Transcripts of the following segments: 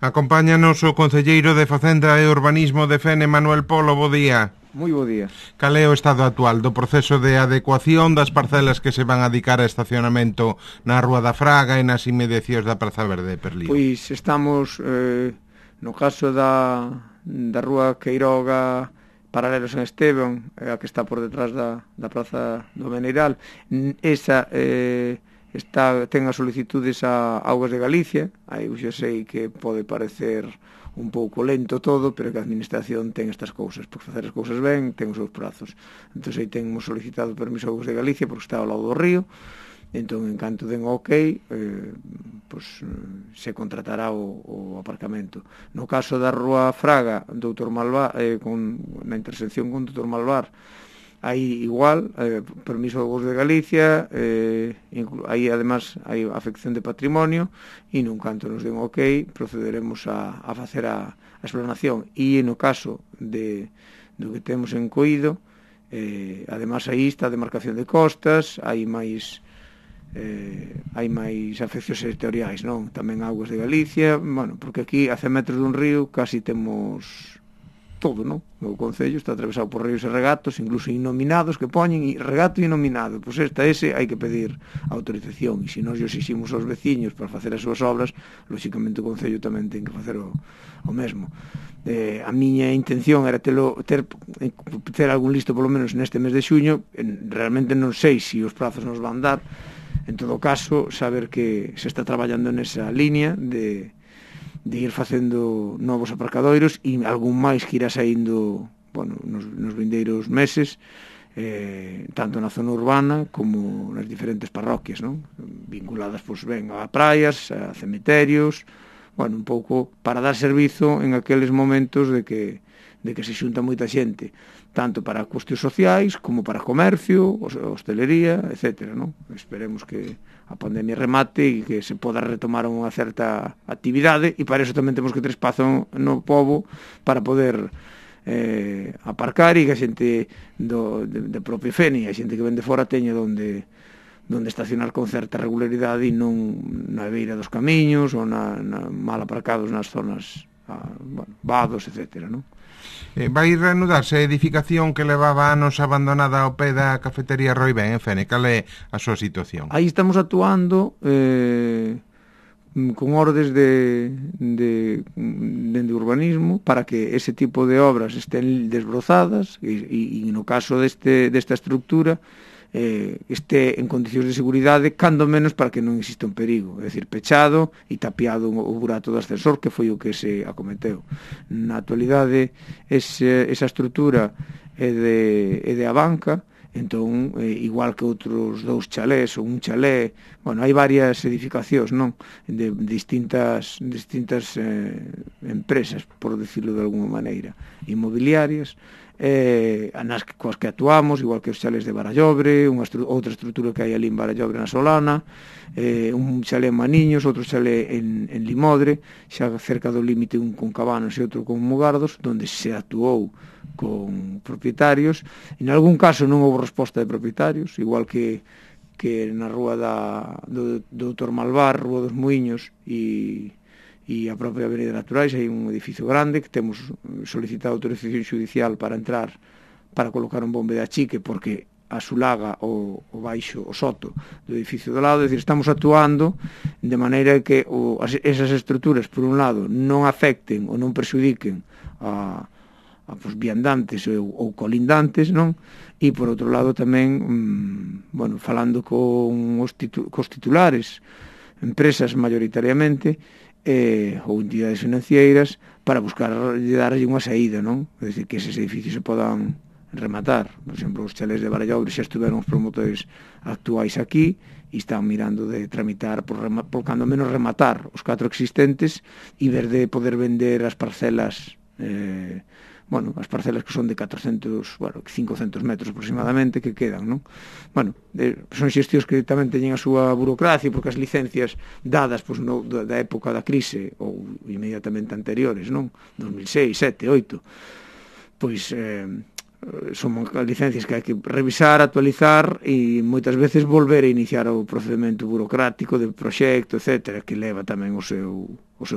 Acompáñanos o concelleiro de Facenda e Urbanismo de Fene, Manuel Polo, bo día. Moi bo día. Cal é o estado actual do proceso de adecuación das parcelas que se van a dedicar a estacionamento na Rúa da Fraga e nas inmediacións da Praza Verde de Perlío? Pois estamos, no caso da Rúa Queiroga, paralelo a San Esteban, a que está por detrás da Praza do Meneiral, esa ten as solicitudes a Augas de Galicia. Aí eu xa sei que pode parecer un pouco lento todo, pero que a administración ten estas cousas, porque facer as cousas ben ten os seus prazos. Entón aí temos solicitado permiso a Augas de Galicia porque está ao lado do río. Entón, en canto den ok, se contratará o aparcamento. No caso da Rúa Fraga, Doutor Malvar, na intersección con Doutor Malvar, aí igual, permiso do Goberno de Galicia, aí además hai afección de patrimonio, e nun canto nos den ok, procederemos a facer a explanación. E no caso do que temos en Coído, además aí está a demarcación de costas, hai máis afeccións sectoriais, non? Tamén Augas de Galicia, bueno, porque aquí a 100 metros dun río casi temos todo, non? O concello está atravesado por ríos e regatos, incluso inominados que poñen regato inominado. Pois ese hai que pedir autorización, e se nós exiximos aos veciños para facer as súas obras, lóxicamente o concello tamén ten que facer o mesmo. A miña intención era ter algún listo polo menos neste mes de xuño. Realmente non sei se os prazos nos van dar. En todo caso, saber que se está traballando nesa línea de ir facendo novos aparcadoiros e algún máis que irá saindo, bueno, nos vindeiros meses, tanto na zona urbana como nas diferentes parroquias, non? Vinculadas, pois, ben, a praias, a cemiterios, bueno, un pouco para dar servizo en aqueles momentos de que se xunta moita xente, tanto para cuestións sociais como para comercio, hostelería, etc., non? Esperemos que a pandemia remate e que se poda retomar unha certa actividade, e para iso tamén temos que ter espazo no pobo para poder aparcar, e que a xente de propio Fene, a xente que vende fora teña onde estacionar con certa regularidade e non na beira dos camiños ou mal aparcados nas zonas, vados, etc., non? Vai reanudarse a edificación que levaba anos abandonada ao pé da cafetería Roibén en Fene? Cal é a súa situación? Aí estamos actuando con ordes de urbanismo para que ese tipo de obras estén desbrozadas e no caso desta estructura este en condicións de seguridade, cando menos para que non exista un perigo, é dicir, pechado e tapiado o burato do ascensor, que foi o que se acometeu. Na actualidade esa estrutura é de Abanca. Entón, igual que outros dous chalés ou un chalé, bueno, hai varias edificacións, non? De distintas empresas, por decirlo de alguma maneira, inmobiliarias, coas que actuamos, igual que os chalés de Barallobre, outra estrutura que hai ali en Barallobre na Solana, un chalé en Maniños, outro chalé en Limodre, xa cerca do límite un con Cabanos e outro con Mugardos, onde se actuou con propietarios. En algún caso non houve resposta de propietarios, igual que na rúa do Doutor Malvar, Rúa dos Muiños e a propia Avenida Naturais, hai un edificio grande que temos solicitado autorización xudicial para entrar, para colocar un bombe de achique, porque asulaga o baixo, o soto do edificio do lado. É dicir, estamos actuando de maneira que esas estruturas, por un lado, non afecten ou non perxudiquen a viandantes ou colindantes, non? E por outro lado tamén, bueno, falando cos titulares, empresas mayoritariamente, ou entidades financeiras, para darlle unha saída, non? É dicir, que eses edificios se podan rematar. Por exemplo, os chalés de Barallobre xa estuveron os promotores actuais aquí e están mirando de tramitar por cando menos rematar os 4 existentes e ver de poder vender as parcelas, as parcelas que son de 500 metros aproximadamente que quedan, non? Bueno, son xestións que tamén teñen a súa burocracia, porque as licencias dadas da época da crise ou inmediatamente anteriores, non? 2006, 7, 8, pois son licencias que hai que revisar, actualizar e moitas veces volver a iniciar o procedimento burocrático de proxecto, etcétera, que leva tamén o seu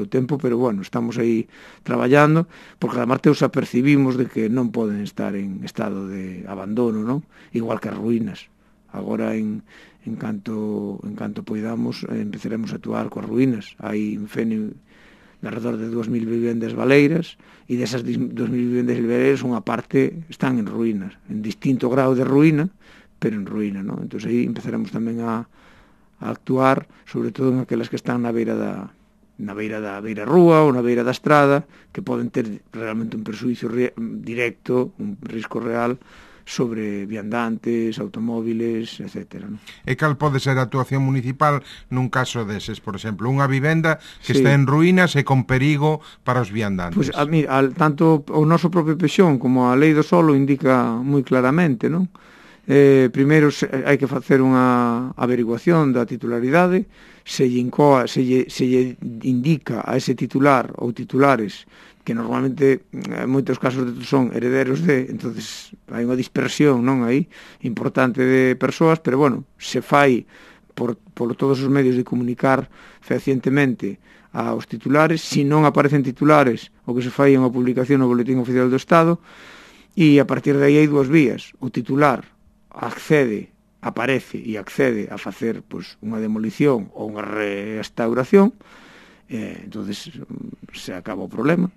tempo, pero bueno, estamos aí traballando, porque además teus apercibimos de que non poden estar en estado de abandono, non? Igual que as ruínas. Agora en canto poidamos empezaremos a actuar coas ruínas. Hai en Fene de alrededor de 2.000 vivendas baleiras e desas 2.000 vivendas baleiras unha parte están en ruínas, en distinto grado de ruína, pero en ruína, non? Entón aí empezaremos tamén a actuar, sobre todo en aquelas que están na beira da rúa ou na beira da estrada, que poden ter realmente un perxuízo directo, un risco real sobre viandantes, automóviles, etc. ¿no? E cal pode ser a actuación municipal nun caso deses, por exemplo, unha vivenda que está en ruínas e con perigo para os viandantes? Pois, tanto o noso propio Pexón como a lei do solo indica moi claramente, non? Primeiro hai que facer unha averiguación da titularidade, se lle indica a ese titular ou titulares que normalmente en moitos casos son herederos entonces hai unha dispersión non aí importante de persoas, pero bueno, se fai por todos os medios de comunicar fehacientemente aos titulares, se non aparecen titulares, o que se fai é unha publicación no Boletín Oficial do Estado, e a partir de aí hai dúas vías: o titular aparece e accede a facer unha demolición ou unha restauración, entonces se acaba o problema.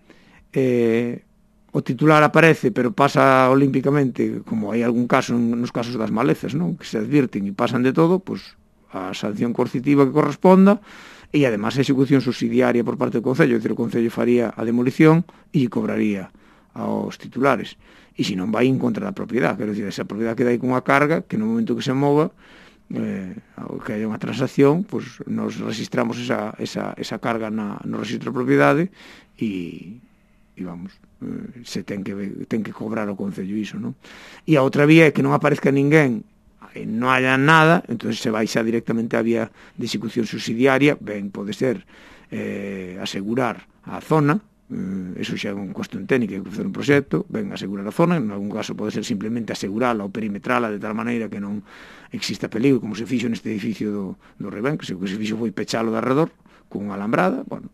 O titular aparece pero pasa olímpicamente, como hai algún caso nos casos das malezas, non? Que se advirten e pasan de todo, a sanción coercitiva que corresponda e además a execución subsidiaria por parte do Concello, é dicir, o Concello faría a demolición e cobraría aos titulares, e se non vai en contra da propiedade, quero dicir, esa propiedade queda aí con unha carga que no momento que se mova que haya unha transacción, nos registramos esa carga no registro de propiedade e vamos, se ten que cobrar o Concello iso, non? E a outra vía é que non aparezca ninguén, non haya nada, entón se vai xa directamente á vía de execución subsidiaria, ben pode ser asegurar a zona, eso xa é unha cuestión técnica que facer un proxecto, ben asegurar a zona, en algún caso pode ser simplemente asegurala ou perimetrala de tal maneira que non exista peligro, como se fixo neste edificio do Rebén, que se fixo foi pechalo de arredor con unha alambrada, bueno,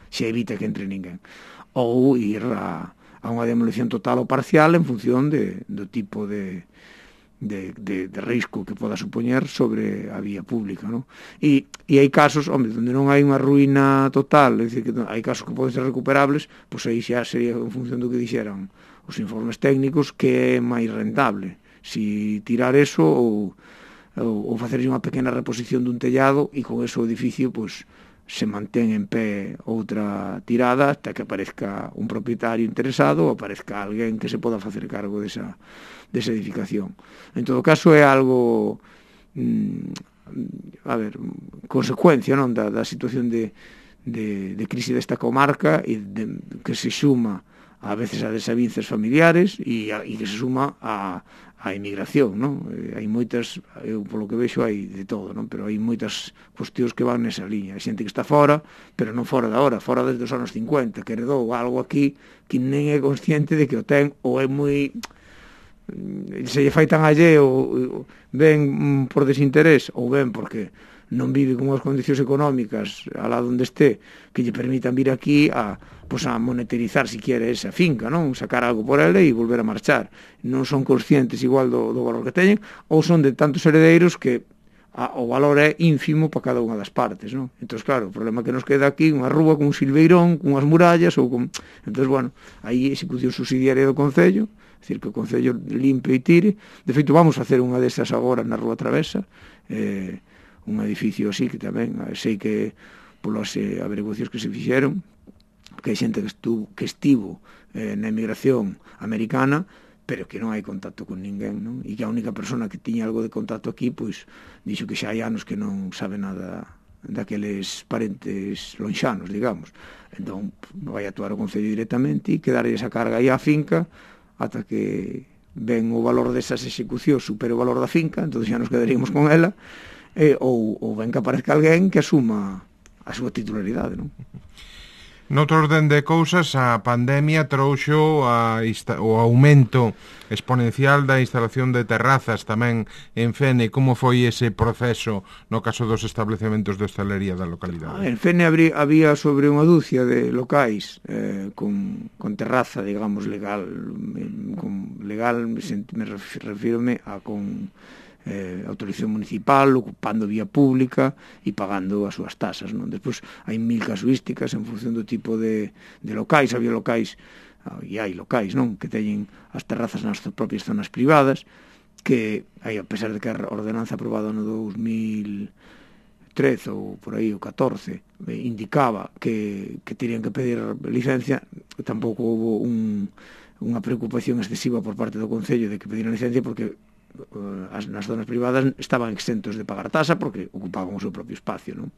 xa evita que entre ninguén, ou ir a unha demolición total ou parcial en función do tipo de risco que poda supoñer sobre a vía pública, non? E hai casos, onde non hai unha ruína total, é dicir, que hai casos que poden ser recuperables, aí xa sería en función do que dixeran os informes técnicos que é máis rentable, si tirar eso ou facer unha pequena reposición dun tellado e con eso o edificio, se mantén en pé outra tirada hasta que aparezca un propietario interesado ou aparezca alguén que se poda facer cargo desa edificación. En todo caso é algo consecuencia, non, da situación de crise desta comarca e que se suma a veces a desavinzas familiares e que se suma a emigración, non? Hai moitas, eu polo que vexo hai de todo, non? Pero hai moitas cuestións que van nesa liña. Hai xente que está fora, pero non fora da hora, fora desde os anos 50, que heredou algo aquí que nem é consciente de que o ten, ou é moi se lle fai tan alleo, ben por desinterés ou ben porque non vive con as condicións económicas alá onde este que lle permitan vir aquí a monetarizar si quere esa finca, non? Sacar algo por ela e volver a marchar. Non son conscientes igual do valor que teñen, ou son de tantos heredeiros que o valor é ínfimo para cada unha das partes, non? Entón, claro, o problema que nos queda aquí, unha rúa con un silveirón, con unhas murallas, entón, bueno, aí execución subsidiaria do Concello, é dicir, que o Concello limpe e tire. De feito, vamos facer unha desas agora na Rúa Travesa, un edificio así que tamén, sei que polas averiguacións que se fixeron, que hai xente que estivo na emigración americana, pero que non hai contacto con ninguén, non? E que a única persona que tiña algo de contacto aquí, dixo que xa hai anos que non sabe nada daqueles parentes lonxanos, digamos. Entón, vai actuar o Concello directamente e quedar esa carga aí á finca ata que ven o valor desas execucións supere o valor da finca, entón xa nos quedaríamos con ela, ou ben que aparezca alguén que asuma a súa titularidade, non? Noutro orden de cousas, a pandemia trouxo o aumento exponencial da instalación de terrazas tamén en Fene. Como foi ese proceso no caso dos establecementos de hostalería da localidade? En Fene había sobre unha dúcia de locais con terraza, digamos, legal. Me refírome a con autorización municipal, ocupando vía pública e pagando as súas tasas, non? Despois hai 1000 casuísticas en función do tipo de locais. Había locais, e hai locais, non?, que teñen as terrazas nas propias zonas privadas, que aí, a pesar de que a ordenanza aprobada no 2013 ou por aí, o 14, indicaba que terían que pedir licencia, tampouco houve unha preocupación excesiva por parte do Concello de que pediran licencia, porque nas zonas privadas estaban exentos de pagar tasa porque ocupaban o seu propio espacio, non?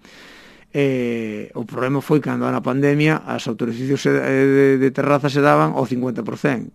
O problema foi cando na pandemia as autorizacións de terraza se daban ao 50%.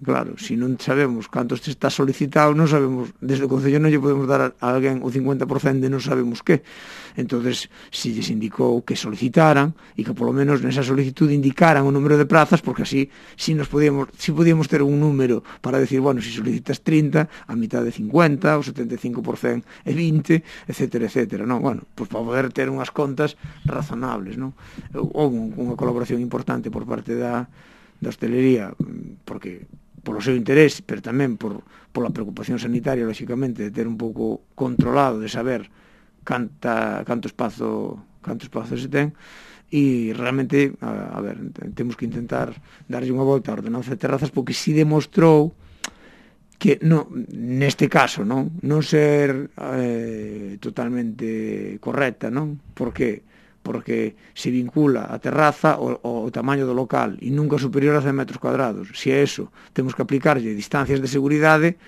Claro, se non sabemos cantos te está solicitado, non sabemos, desde o Concello non lle podemos dar a alguén o 50% de non sabemos que. Entonces, se lles indicou que solicitaran e que polo menos nesa solicitud indicaran o número de prazas, porque así si podíamos ter un número para decir, bueno, se solicitas 30, a mitad de 50, o 75% é 20, etcétera, etcétera, non? Bueno, pois para poder ter unhas contas razonables, non? Houve unha colaboración importante por parte da hostelería, porque polo seu interés, pero tamén pola preocupación sanitaria, lóxicamente, de ter un pouco controlado, de saber canto espazo se ten, e realmente, a ver, temos que intentar darlle unha volta á ordenanza de terrazas, porque si demostrou que neste caso non ser totalmente correcta, non? Porque se vincula a terraza ao tamaño do local e nunca superior a 100 metros cuadrados. Se a eso temos que aplicarlle distancias de seguridade,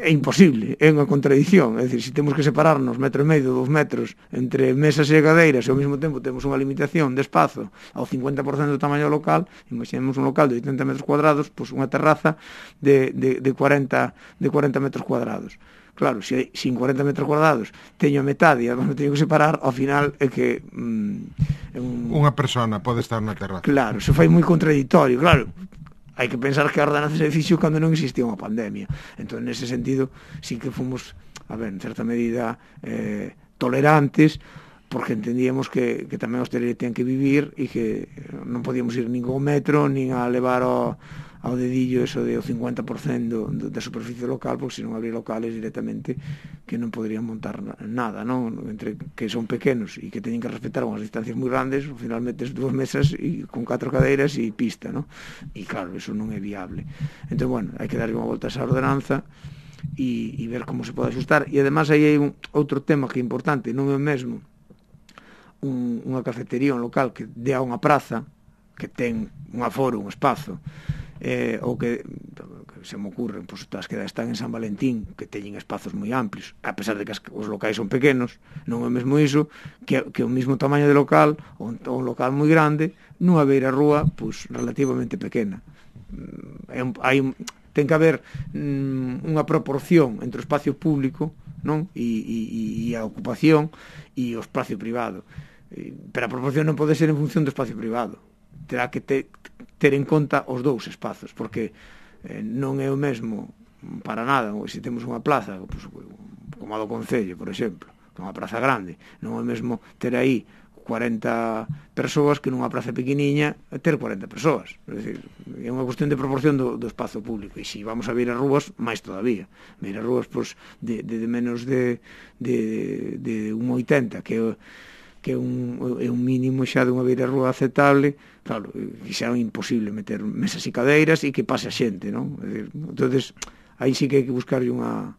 é imposible, é unha contradición. É dicir, se temos que separarnos 1,5 metros, 2 metros entre mesas e cadeiras e ao mesmo tempo temos unha limitación de espazo ao 50% do tamaño do local, imaginemos un local de 80 metros cuadrados, pois unha terraza de 40 metros cuadrados. Claro, se en 40 metros cuadrados teño a metade e además me teño que separar, ao final é que unha persona pode estar na terraza. Claro, se fai moi contradictorio. Claro, hai que pensar que a ordenanza se fixo cando non existía unha pandemia. Entón, nese sentido, sí que fomos, a ver, en certa medida tolerantes, porque entendíamos que tamén a hostelería ten que vivir e que non podíamos ir nin ao metro, nin a levar ao dedillo eso de o 50% da superficie local, porque senón abrir locales directamente que non poderían montar nada, non? Entre que son pequenos e que teñen que respetar unhas distancias moi grandes, ao final metes 2 mesas e con 4 cadeiras e pista, non? E claro, eso non é viable. Entón, bueno, hai que darlle unha volta a esa ordenanza e ver como se pode ajustar. E además aí hai outro tema que é importante, non é o mesmo unha cafetería, un local que dé a unha praza, que ten un aforo, un espazo, ou que se me ocurre, pois as que están en San Valentín, que teñen espazos moi amplios, a pesar de que os locais son pequenos, non é mesmo iso que o mesmo tamaño de local, ou un local moi grande, nunha beira rúa pois relativamente pequena. Ten que haber unha proporción entre o espacio público, non? E a ocupación e o espacio privado, pero a proporción non pode ser en función do espacio privado, terá que ter en conta os dous espazos, porque non é o mesmo para nada, se temos unha plaza pues, como a do Concello, por exemplo, que é unha praza grande, non é o mesmo ter aí 40 persoas que nunha praza pequeniña ter 40 persoas. É dicir, é unha cuestión de proporción do espazo público, e se vamos a ver as rúas, máis todavía. Ver as rúas pues, de menos de 1,80, que é un mínimo xa dunha beira rúa aceptable, claro, xa é imposible meter mesas e cadeiras e que pase a xente, non? É dicir, entonces, aí sí que hai que buscarlle unha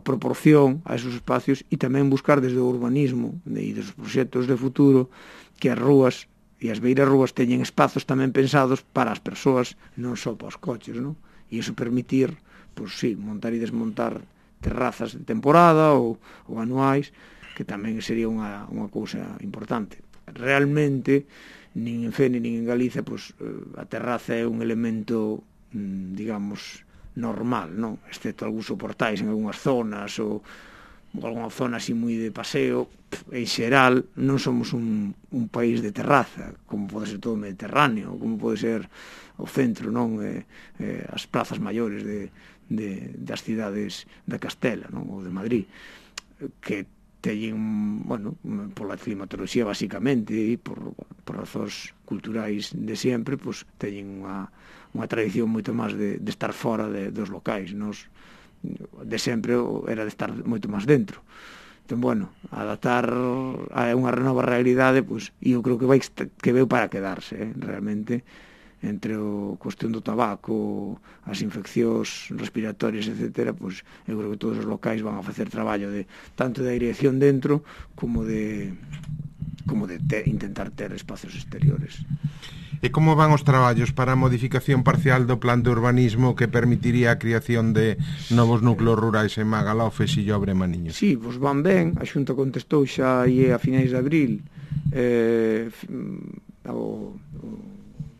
proporción a esos espacios e tamén buscar desde o urbanismo e dos proxectos de futuro que as rúas e as beiras rúas teñen espazos tamén pensados para as persoas, non só para os coches, non? E iso permitir, pois sí, montar e desmontar terrazas de temporada ou anuais, que tamén sería unha cousa importante. Realmente, nin en Fene nin en Galicia, pois, a terraza é un elemento, digamos, normal, non? Excepto algúns soportais en algunhas zonas, ou alguna zona así moi de paseo, en xeral non somos un país de terraza, como pode ser todo o Mediterráneo, como pode ser o centro, non, as plazas maiores das cidades da Castela, non, ou de Madrid, que teñen, bueno, pola climatoloxía basicamente e por razóns culturais de sempre, pois teñen unha tradición moito máis de estar fora dos locais. Nos de sempre era de estar moito máis dentro. Entón, bueno, adaptar a unha nova realidade, pois, eu creo que veu para quedarse, realmente, entre o cuestión do tabaco, as infeccións respiratorias, etc., pois, eu creo que todos os locais van a facer traballo tanto de aireación dentro como de intentar ter espacios exteriores. E como van os traballos para a modificación parcial do plan de urbanismo que permitiría a creación de novos núcleos rurais en Magalhães, Sillobre e Maniño? Sí, pois van ben, a Xunta contestou xa aí a finais de abril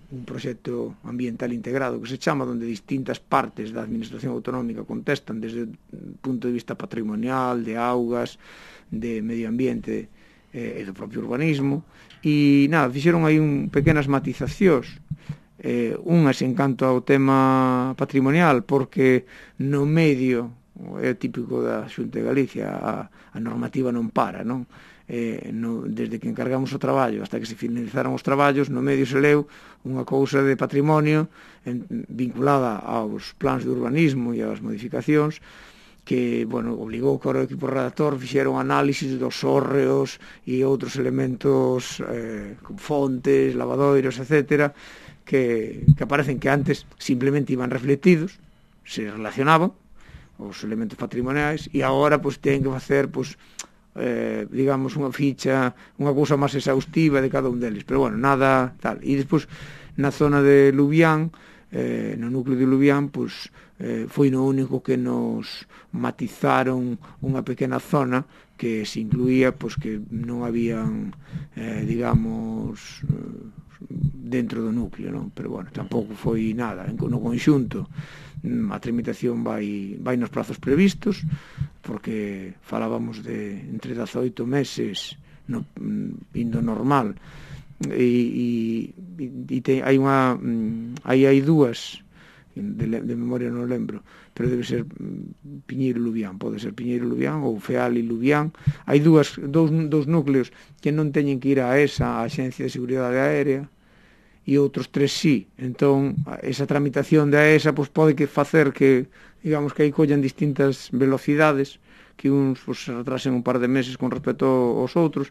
un proxecto ambiental integrado que se chama, onde distintas partes da administración autonómica contestan desde o punto de vista patrimonial, de augas, de medio ambiente e do propio urbanismo, e nada, fixeron aí pequenas matizacións, unhas en canto ao tema patrimonial, porque no medio, é típico da Xunta de Galicia, a normativa non para, non? Desde que encargamos o traballo hasta que se finalizaron os traballos, no medio se leu unha cousa de patrimonio vinculada aos plans de urbanismo e ás modificacións, que, bueno, obligou que o equipo redactor fixeron análisis dos hórreos e outros elementos, fontes, lavadoiros, etc., que aparecen que antes simplemente iban refletidos, se relacionaban os elementos patrimoniais, e agora pois ten que facer, pois, digamos, unha ficha, unha cousa máis exhaustiva de cada un deles, pero bueno, nada tal. E despois na zona de Lubián, no núcleo de Lubián, pois foi no único que nos matizaron unha pequena zona que se incluía, pois, que non habían, digamos, dentro do núcleo, non? Pero bueno, tampouco foi nada. No conxunto, a tramitación vai nos prazos previstos, porque falábamos de entre 18 meses indo normal, e hai dúas, de memoria non lembro, pero debe ser Piñeiro Lubián, pode ser Piñeiro Lubián ou Feal e Lubián. Hai dous núcleos que non teñen que ir a ESA, a Axencia de Seguridade Aérea, e outros 3 sí. Entón, esa tramitación da ESA pois pode facer que, digamos, que aí collan distintas velocidades, que uns pois, se retrasen un par de meses con respecto aos outros,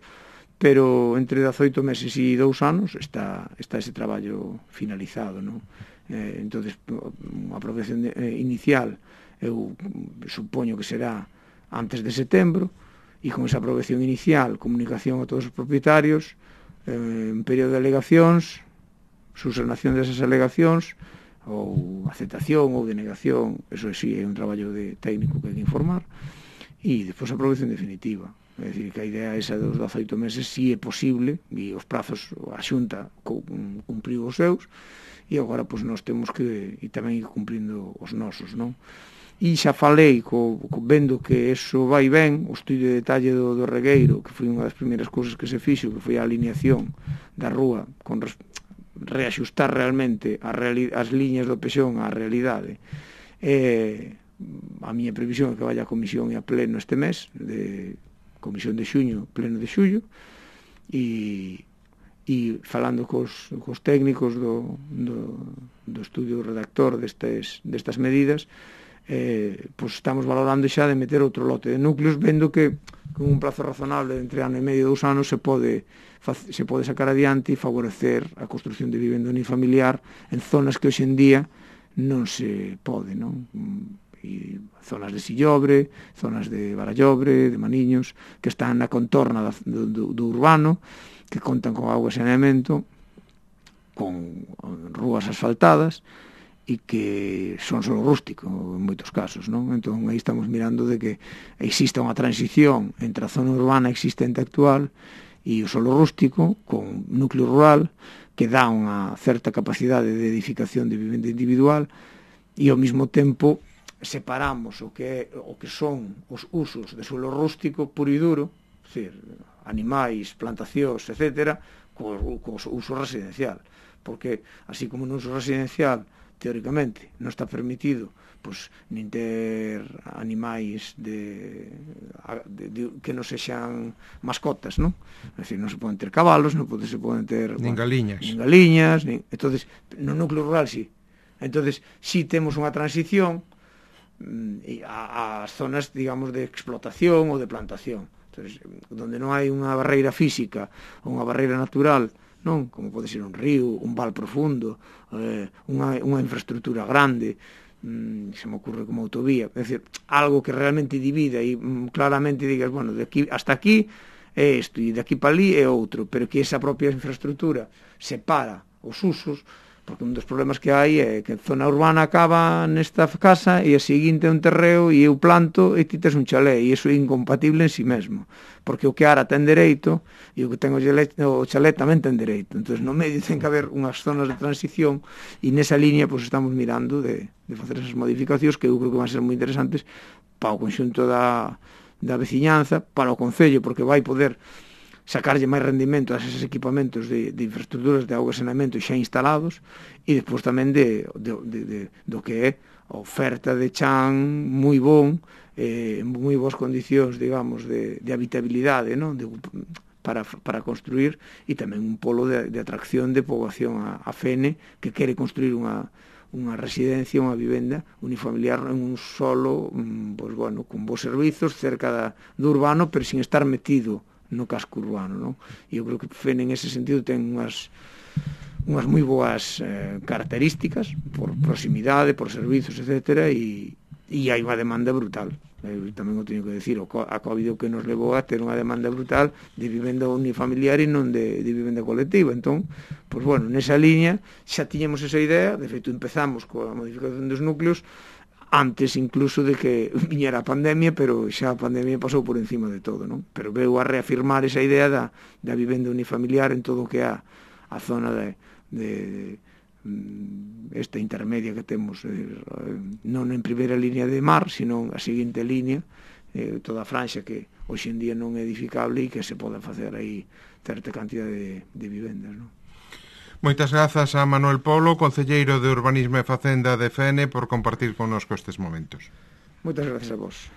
pero entre 18 meses e 2 anos está ese traballo finalizado, non? Entonces, a aprobación inicial eu supoño que será antes de setembro, e con esa aprobación inicial, comunicación a todos os propietarios, en período de alegacións, subsanación desas alegacións, ou aceptación ou denegación, eso sí é un traballo técnico que hai que informar, e despois a aprobación definitiva. É dicir, que a idea esa dos 18 meses si é posible, e os prazos a Xunta cumpriu os seus, e agora pois nós temos que e tamén ir cumprindo os nosos, non? E xa falei vendo que eso vai ben, o estudio de detalle do regueiro, que foi unha das primeiras cousas que se fixo, que foi a alineación da rúa con reaxustar realmente as liñas do pexón á realidade. A miña previsión é que vaya a comisión e a pleno este mes, de comisión de xuño, pleno de xullo, e falando cos técnicos do estudio redactor destas medidas, pois estamos valorando xa de meter outro lote de núcleos, vendo que con un plazo razonable entre ano e medio e 2 anos se pode sacar adiante e favorecer a construción de vivenda unifamiliar en zonas que hoxe en día non se pode, non? E zonas de Sillobre, zonas de Barallobre, de Maniños, que están na contorna do urbano, que contan con auga e saneamento, con rúas asfaltadas, e que son solo rústico en moitos casos, non? Entón aí estamos mirando de que exista unha transición entre a zona urbana existente actual e o solo rústico con núcleo rural que dá unha certa capacidade de edificación de vivenda individual e ao mesmo tempo separamos o que son os usos de suelo rústico puro e duro, decir, animais, plantacións, etc., co uso residencial, porque así como no uso residencial teóricamente non está permitido pois nin ter animais que non sexan mascotas, non? É dicir, non se poden ter cabalos, non se poden ter nin galiñas. Entonces, no núcleo rural sí. Entonces, sí temos unha transición ás zonas, digamos, de explotación ou de plantación. Entonces, donde non hai unha barreira física ou unha barreira natural, non, como pode ser un río, un val profundo, unha infraestructura grande, se me ocurre como autovía, é dicir, algo que realmente divida e claramente digas, bueno, de aquí hasta aquí é isto e de aquí para ali é outro, pero que esa propia infraestructura separa os usos, porque un dos problemas que hai é que a zona urbana acaba nesta casa e a seguinte é un terreo e eu planto e ti tes un chalé e iso é incompatible en si mesmo, porque o que ara ten dereito e o que ten o chalé tamén ten dereito. Entón no medio ten que haber unhas zonas de transición e nesa línea pues, estamos mirando de facer esas modificacións que eu creo que van ser moi interesantes para o conxunto da veciñanza, para o concello, porque vai poder sacarlle máis rendimento a esos equipamentos de infraestructuras de auga e saneamento xa instalados e despois tamén do que é a oferta de chan moi bon, moi boas condicións, digamos, de habitabilidade, non? Para construir e tamén un polo de atracción de poboación a Fene que quere construir unha residencia, unha vivenda unifamiliar en un solo, pues, bueno, con bons servizos cerca do urbano, pero sin estar metido no casco urbano, non? E eu creo que Fene en ese sentido ten unhas moi boas características por proximidade, por servizos, etc. E hai unha demanda brutal. Eu tamén o teño que decir, a COVID o que nos levou a ter unha demanda brutal de vivenda unifamiliar e non de vivenda colectiva. Entón, pois bueno, nesa liña xa tiñamos esa idea, de feito empezamos coa modificación dos núcleos antes incluso de que viñera a pandemia, pero xa a pandemia pasou por encima de todo, non? Pero veu a reafirmar esa idea da vivenda unifamiliar en todo o que é a zona de esta intermedia que temos, non en primeira línea de mar, sino a seguinte línea, toda a franxa que hoxe en día non é edificable e que se pode facer aí certa cantidad de vivendas, non? Moitas grazas a Manuel Polo, concelleiro de Urbanismo e Facenda de Fene, por compartir connosco estes momentos. Moitas grazas a vos.